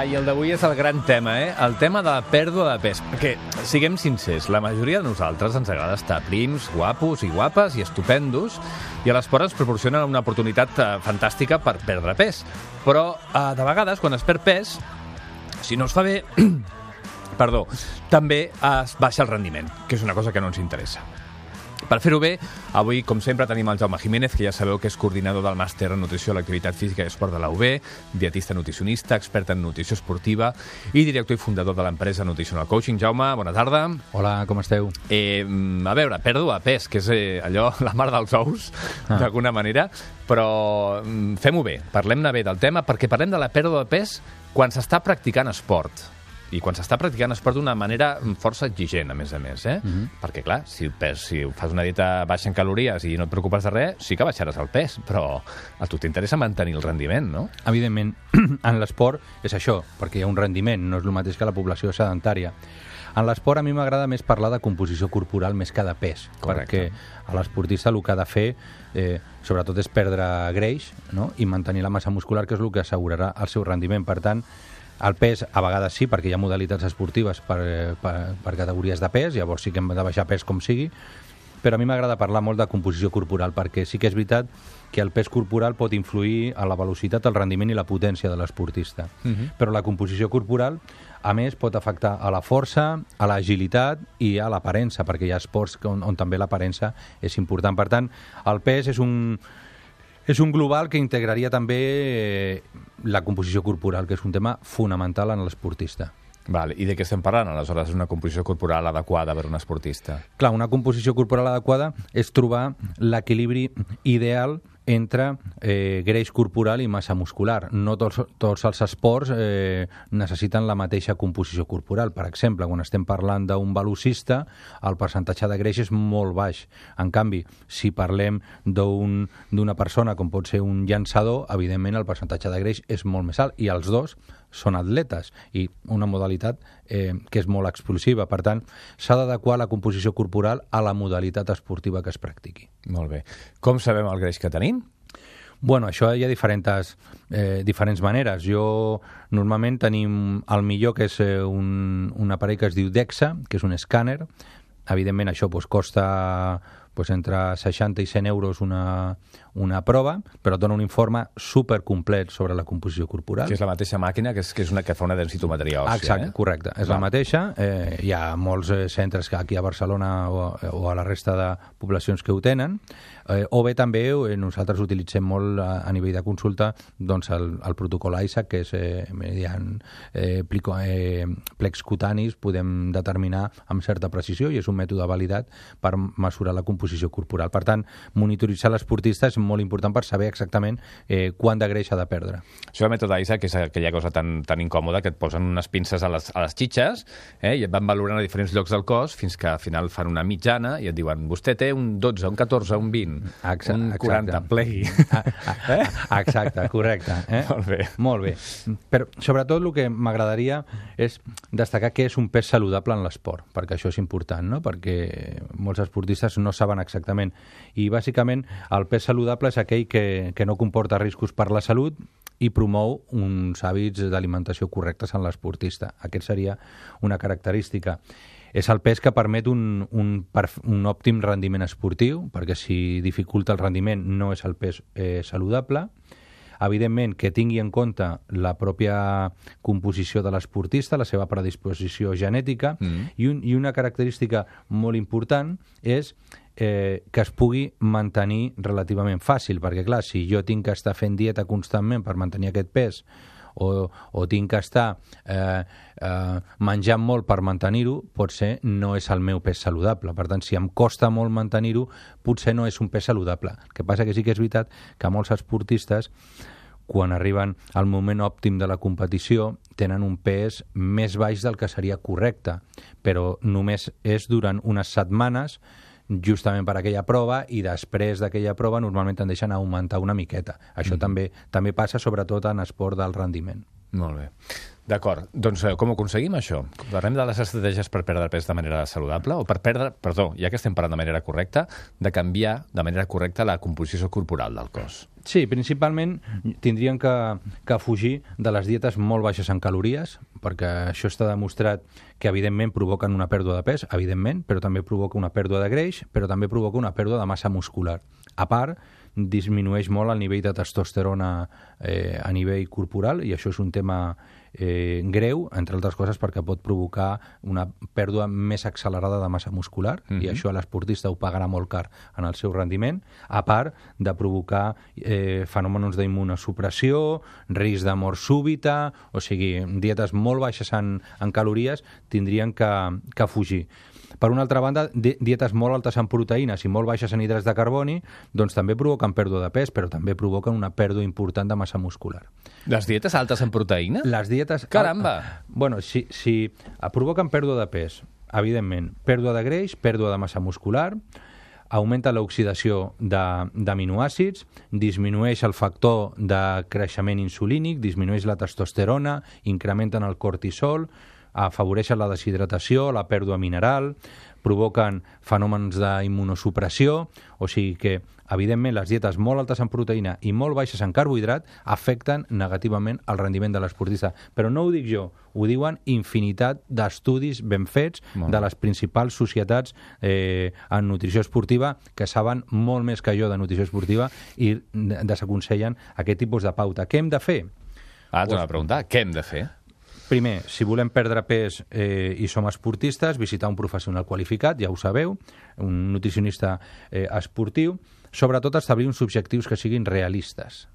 i el d'avui és el gran tema, el tema de la pèrdua de pes. Perquè, siguem sincers, la majoria de nosaltres ens agrada estar prims, guapos i guapes i estupendos, i a l'esport ens proporciona una oportunitat fantàstica per perdre pes. Però, de vegades, quan es perd pes, si no es fa bé, perdó, també es baixa el rendiment, que és una cosa que no ens interessa. Per fer-ho bé, avui, com sempre, tenim el Jaume Jiménez, que ja sabeu que és coordinador del màster en nutrició a l'activitat física i esport de la UB, dietista nutricionista, expert en nutrició esportiva i director i fundador de l'empresa Nutritional Coaching. Jaume, bona tarda. Hola, com esteu? A veure, pèrdua de pes, que és allò, la mar dels ous, d'alguna manera, però fem-ho bé, parlem-ne bé del tema, perquè parlem de la pèrdua de pes quan s'està practicant esport. I quan s'està practicant esport d'una manera força exigent, a més, Perquè, clar, si fas una dieta baixa en calories i no et preocupes de res, sí que baixaràs el pes, però a tu t'interessa mantenir el rendiment, no? Evidentment, en l'esport és això, perquè hi ha un rendiment, no és el mateix que la població sedentària. En l'esport a mi m'agrada més parlar de composició corporal més que de pes. Correcte. Perquè a l'esportista el que ha de fer, sobretot, és perdre greix, no? I mantenir la massa muscular, que és el que assegurarà el seu rendiment. Per tant, el pes, a vegades sí, perquè hi ha modalitats esportives per categories de pes, llavors sí que hem de baixar pes com sigui, però a mi m'agrada parlar molt de composició corporal, perquè sí que és veritat que el pes corporal pot influir a la velocitat, el rendiment i la potència de l'esportista. Però la composició corporal, a més, pot afectar a la força, a l'agilitat i a l'aparença, perquè hi ha esports on també l'aparença és important. Per tant, el pes és un global que integraria també la composició corporal, que és un tema fonamental en l'esportista. Vale. I de què estem parlant, aleshores, una composició corporal adequada per a un esportista? Clar, una composició corporal adequada és trobar l'equilibri ideal entre greix corporal i massa muscular. No tots els esports necessiten la mateixa composició corporal. Per exemple, quan estem parlant d'un velocista, el percentatge de greix és molt baix. En canvi, si parlem d'una persona com pot ser un llançador, evidentment el percentatge de greix és molt més alt, i els dos són atletes, i una modalitat que és molt explosiva. Per tant, s'ha d'adequar la composició corporal a la modalitat esportiva que es practiqui. Molt bé. Com sabem el greix que tenim? Bueno, això hi ha diferents maneres. Normalment tenim el millor, que és un aparell que es diu DEXA, que és un escàner. Evidentment això costa entre 60 i 100 euros una prova, però dona un informe supercomplet sobre la composició corporal. Que és la mateixa màquina que és una que fa una densitometria òssia. Exacte, correcte. És la mateixa. Hi ha molts centres aquí a Barcelona o a la resta de poblacions que ho tenen. O bé també nosaltres utilitzem molt a nivell de consulta el protocol ISAC, que és mediant plecs cutanis podem determinar amb certa precisió, i és un mètode validat per mesurar la composició corporal. Per tant, monitoritzar l'esportista és molt important per saber exactament quant de greix ha de perdre. Això del mètode ISAC, que és aquella cosa tan incòmoda que et posen unes pinces a les xitxes i et van valorant a diferents llocs del cos fins que al final fan una mitjana i et diuen vostè té un 12, un 14, un 20, un 40, plegui. Exacte, correcte. Molt bé. Molt bé. Però sobretot el que m'agradaria és destacar què és un pes saludable en l'esport, perquè això és important, no? Perquè molts esportistes no saben exactament. I bàsicament el pes saludable és aquell que no comporta riscos per la salut i promou uns hàbits d'alimentació correctes en l'esportista. Aquest seria una característica. És el pes que permet un òptim rendiment esportiu, perquè si dificulta el rendiment no és el pes saludable. Evidentment, que tingui en compte la pròpia composició de l'esportista, la seva predisposició genètica, i una característica molt important és que es pugui mantenir relativament fàcil, perquè clar, si jo tinc que estar fent dieta constantment per mantenir aquest pes o tinc que estar menjant molt per mantenir-ho, potser no és el meu pes saludable. Per tant, si em costa molt mantenir-ho, potser no és un pes saludable. El que passa que sí que és veritat que molts esportistes, quan arriben al moment òptim de la competició, tenen un pes més baix del que seria correcte, però només és durant unes setmanes, justament per aquella prova, i després d'aquella prova normalment tendeixen a augmentar una miqueta. Això també passa sobretot en esport d'alt rendiment. Molt bé. D'acord. Doncs com ho aconseguim, això? Parlem de les estratègies per perdre pes de manera saludable o per perdre, perdó, ja que estem parlant de manera correcta, de canviar de manera correcta la composició corporal del cos. Sí, principalment tindrien que fugir de les dietes molt baixes en calories, perquè això està demostrat que evidentment provoquen una pèrdua de pes, evidentment, però també provoca una pèrdua de greix, però també provoca una pèrdua de massa muscular. A part, disminueix molt el nivell de testosterona a nivell corporal, i això és un tema greu, entre altres coses perquè pot provocar una pèrdua més accelerada de massa muscular, i això l'esportista ho pagarà molt car en el seu rendiment, a part de provocar fenòmenos d'immunosupressió, risc de mort súbita, o sigui, dietes molt baixes en calories tindrien que fugir. Per una altra banda, dietes molt altes en proteïnes i molt baixes en hidrats de carboni, doncs també provoquen pèrdua de pes, però també provoquen una pèrdua important de massa muscular. Les dietes altes en proteïna? Les dietes... Caramba! Bueno, si provoquen pèrdua de pes, evidentment, pèrdua de greix, pèrdua de massa muscular, augmenta l'oxidació d'aminoàcids, disminueix el factor de creixement insulínic, disminueix la testosterona, incrementen el cortisol, afavoreixen la deshidratació, la pèrdua mineral, provoquen fenòmens d'immunosupressió, o sigui que, evidentment, les dietes molt altes en proteïna i molt baixes en carbohidrat afecten negativament el rendiment de l'esportista. Però no ho dic jo, ho diuen infinitat d'estudis ben fets de les principals societats en nutrició esportiva que saben molt més que jo de nutrició esportiva i desaconsellen aquest tipus de pauta. Què hem de fer? T'ho he de preguntar, què hem de fer? Primer, si volem perdre pes i som esportistes, visitar un professional qualificat, ja ho sabeu, un nutricionista esportiu, sobretot establir uns objectius que siguin realistes.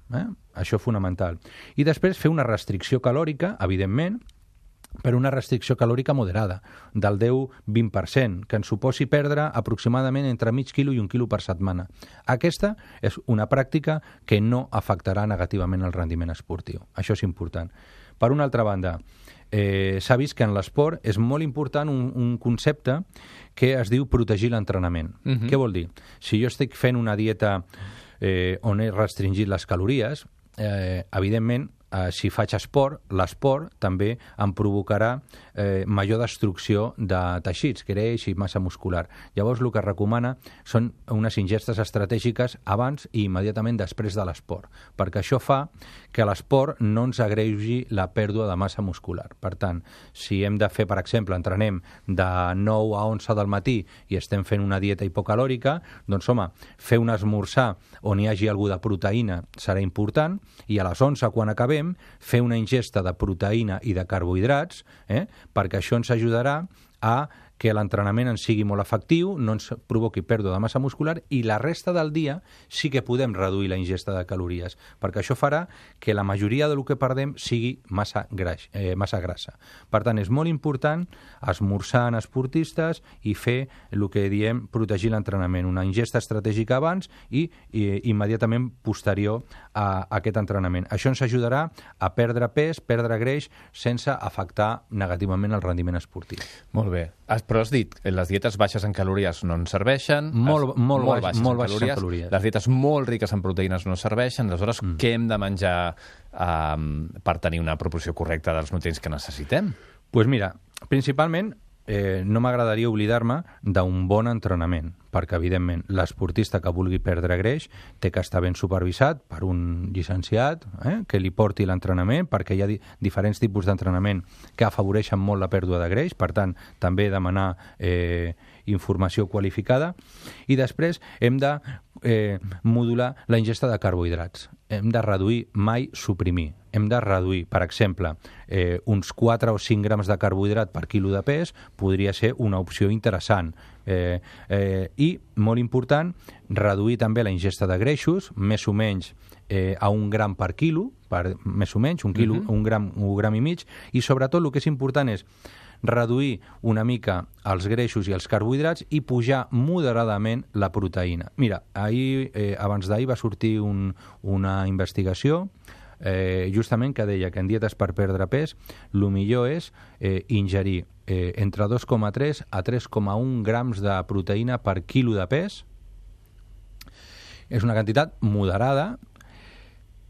Això fonamental. I després fer una restricció calòrica, evidentment, però una restricció calòrica moderada, del 10-20%, que ens suposi perdre aproximadament entre mig quilo i 1 quilo per setmana. Aquesta és una pràctica que no afectarà negativament el rendiment esportiu. Això és important. Per una altra banda, s'ha vist que en l'esport és molt important un concepte que es diu protegir l'entrenament. Què vol dir? Si jo estic fent una dieta on he restringit les calories, evidentment, si faig esport, l'esport també em provocarà major destrucció de teixits, greix i massa muscular. Llavors, el que recomana són unes ingestes estratègiques abans i immediatament després de l'esport, perquè això fa que l'esport no ens agreugi la pèrdua de massa muscular. Per tant, si hem de fer, per exemple, entrenem de 9 a 11 del matí i estem fent una dieta hipocalòrica, doncs, home, fer un esmorzar on hi hagi alguna de proteïna serà important, i a les 11, quan acabem, fer una ingesta de proteïna i de carbohidrats, perquè això ens ajudarà a que l'entrenament ens sigui molt efectiu, no ens provoqui pèrdua de massa muscular, i la resta del dia sí que podem reduir la ingesta de calories, perquè això farà que la majoria del que perdem sigui massa grassa. Per tant, és molt important esmorzar en esportistes i fer el que diem protegir l'entrenament, una ingesta estratègica abans i immediatament posterior a aquest entrenament. Això ens ajudarà a perdre pes, perdre greix, sense afectar negativament el rendiment esportiu. Molt bé. Però has dit, les dietes baixes en calories no ens serveixen, molt baixes en calories. Les dietes molt riques en proteïnes no serveixen, aleshores què hem de menjar per tenir una proporció correcta dels nutrients que necessitem? Doncs mira, principalment no m'agradaria oblidar-me d'un bon entrenament, perquè, evidentment, l'esportista que vulgui perdre greix té que estar ben supervisat per un llicenciat que li porti l'entrenament, perquè hi ha diferents tipus d'entrenament que afavoreixen molt la pèrdua de greix, per tant, també demanar informació qualificada. I després hem de modular la ingesta de carbohidrats. Hem de reduir, mai suprimir. Hem de reduir, per exemple, uns 4 o 5 grams de carbohidrat per quilo de pes podria ser una opció interessant. I, molt important, reduir també la ingesta de greixos, més o menys a 1 gram per quilo, més o menys, 1 quilo, 1 gram i mig, i sobretot el que és important és reduir una mica els greixos i els carbohidrats i pujar moderadament la proteïna. Mira, abans d'ahir va sortir una investigació justament que deia que en dietes per perdre pes el millor és ingerir entre 2,3 a 3,1 grams de proteïna per quilo de pes. És una quantitat moderada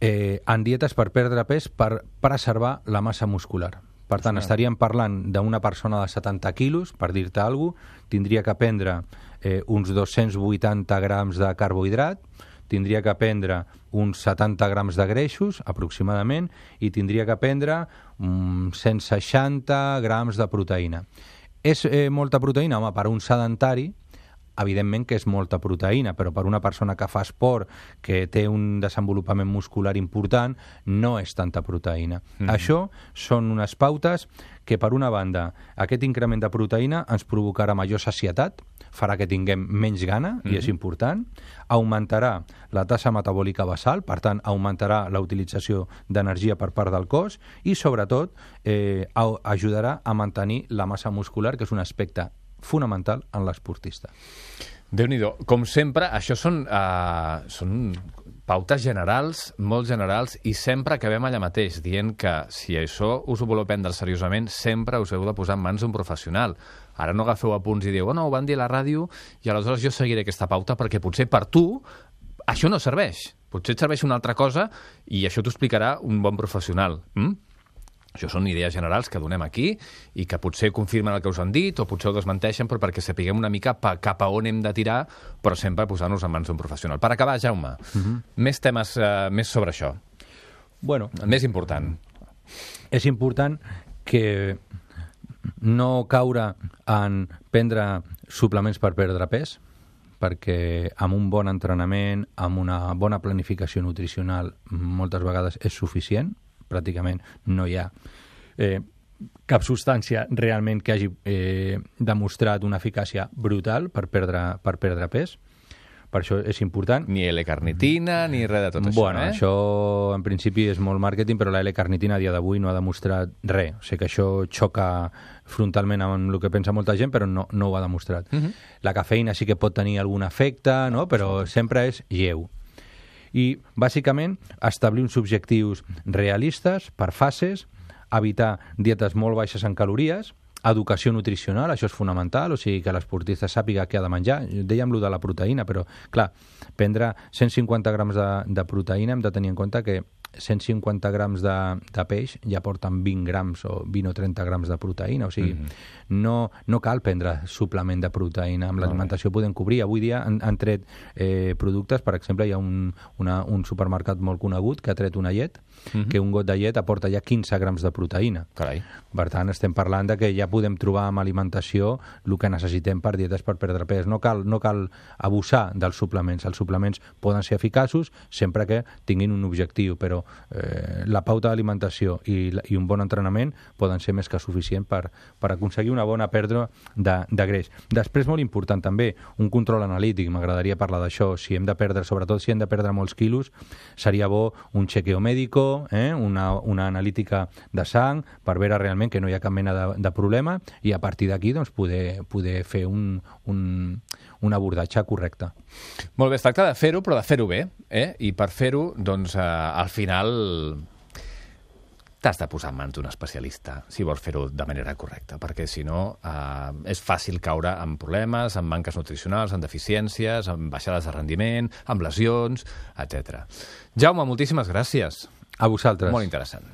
en dietes per perdre pes per preservar la massa muscular. Per tant, estaríem parlant d'una persona de 70 quilos, per dir-te alguna cosa, tindria que prendre uns 280 grams de carbohidrat, tindria que prendre uns 70 grams de greixos, aproximadament, i tindria que prendre 160 grams de proteïna. És molta proteïna? Home, per un sedentari, evidentment que és molta proteïna, però per una persona que fa esport, que té un desenvolupament muscular important, no és tanta proteïna. Això són unes pautes que, per una banda, aquest increment de proteïna ens provocarà major sacietat, farà que tinguem menys gana, i és important, augmentarà la tassa metabòlica basal, per tant, augmentarà la utilització d'energia per part del cos i, sobretot, ajudarà a mantenir la massa muscular, que és un aspecte fonamental en l'esportista. Déu-n'hi-do. Com sempre, això són pautes generals, molt generals, i sempre acabem allà mateix, dient que si això us ho voleu prendre seriosament, sempre us heu de posar en mans d'un professional. Ara no agafeu apunts i dieu, no, ho van dir a la ràdio, i aleshores jo seguiré aquesta pauta, perquè potser per tu això no serveix. Potser et serveix una altra cosa i això t'ho explicarà un bon professional. Això són idees generals que donem aquí i que potser confirmen el que us han dit o potser ho desmenteixen, però perquè sapiguem una mica cap a on hem de tirar, però sempre posant-nos en mans d'un professional. Per acabar, Jaume, més temes més sobre això. Bueno, el més important. És important que no caure en prendre suplements per perdre pes, perquè amb un bon entrenament, amb una bona planificació nutricional, moltes vegades és suficient. Pràcticament no hi ha cap substància realment que hagi demostrat una eficàcia brutal per perdre pes. Per això és important. Ni L-carnitina, ni res de tot això, Bueno, això en principi és molt màrqueting, però la L-carnitina a dia d'avui no ha demostrat res. O sigui que això xoca frontalment amb el que pensa molta gent, però no ho ha demostrat. La cafeïna sí que pot tenir algun efecte, no? Però sempre és lleu. I, bàsicament, establir uns objectius realistes per fases, evitar dietes molt baixes en calories, educació nutricional, això és fonamental, o sigui que l'esportista sàpiga què ha de menjar. Dèiem lo de la proteïna, però, clar, prendre 150 grams de proteïna hem de tenir en compte que 150 grams de peix ja porten 20 grams o 20 o 30 grams de proteïna, o sigui, no cal prendre suplement de proteïna, amb l'alimentació podem cobrir. Avui dia han tret productes, per exemple, hi ha un supermercat molt conegut que ha tret una llet, que un got de llet aporta ja 15 grams de proteïna. Carai. Per tant, estem parlant de que ja podem trobar amb alimentació el que necessitem per dietes per perdre pes. No cal abusar dels suplements. Els suplements poden ser eficaços sempre que tinguin un objectiu, però la pauta d'alimentació i un bon entrenament poden ser més que suficient per aconseguir una bona pèrdua de greix. Després, molt important també, un control analític. M'agradaria parlar d'això. Sobretot si hem de perdre molts quilos, seria bo un chequeo médico, una analítica de sang, per veure realment que no hi ha cap mena de problema i a partir d'aquí doncs, poder fer un abordatge correcte. Molt bé, es tracta de fer-ho, però de fer-ho bé, i per fer-ho, doncs, al final t'has de posar en mans d'un especialista si vols fer-ho de manera correcta, perquè si no és fàcil caure en problemes, en manques nutricionals, en deficiències, en baixades de rendiment, amb lesions, etc. Jaume, moltíssimes gràcies. A vosaltres. Molt interessant.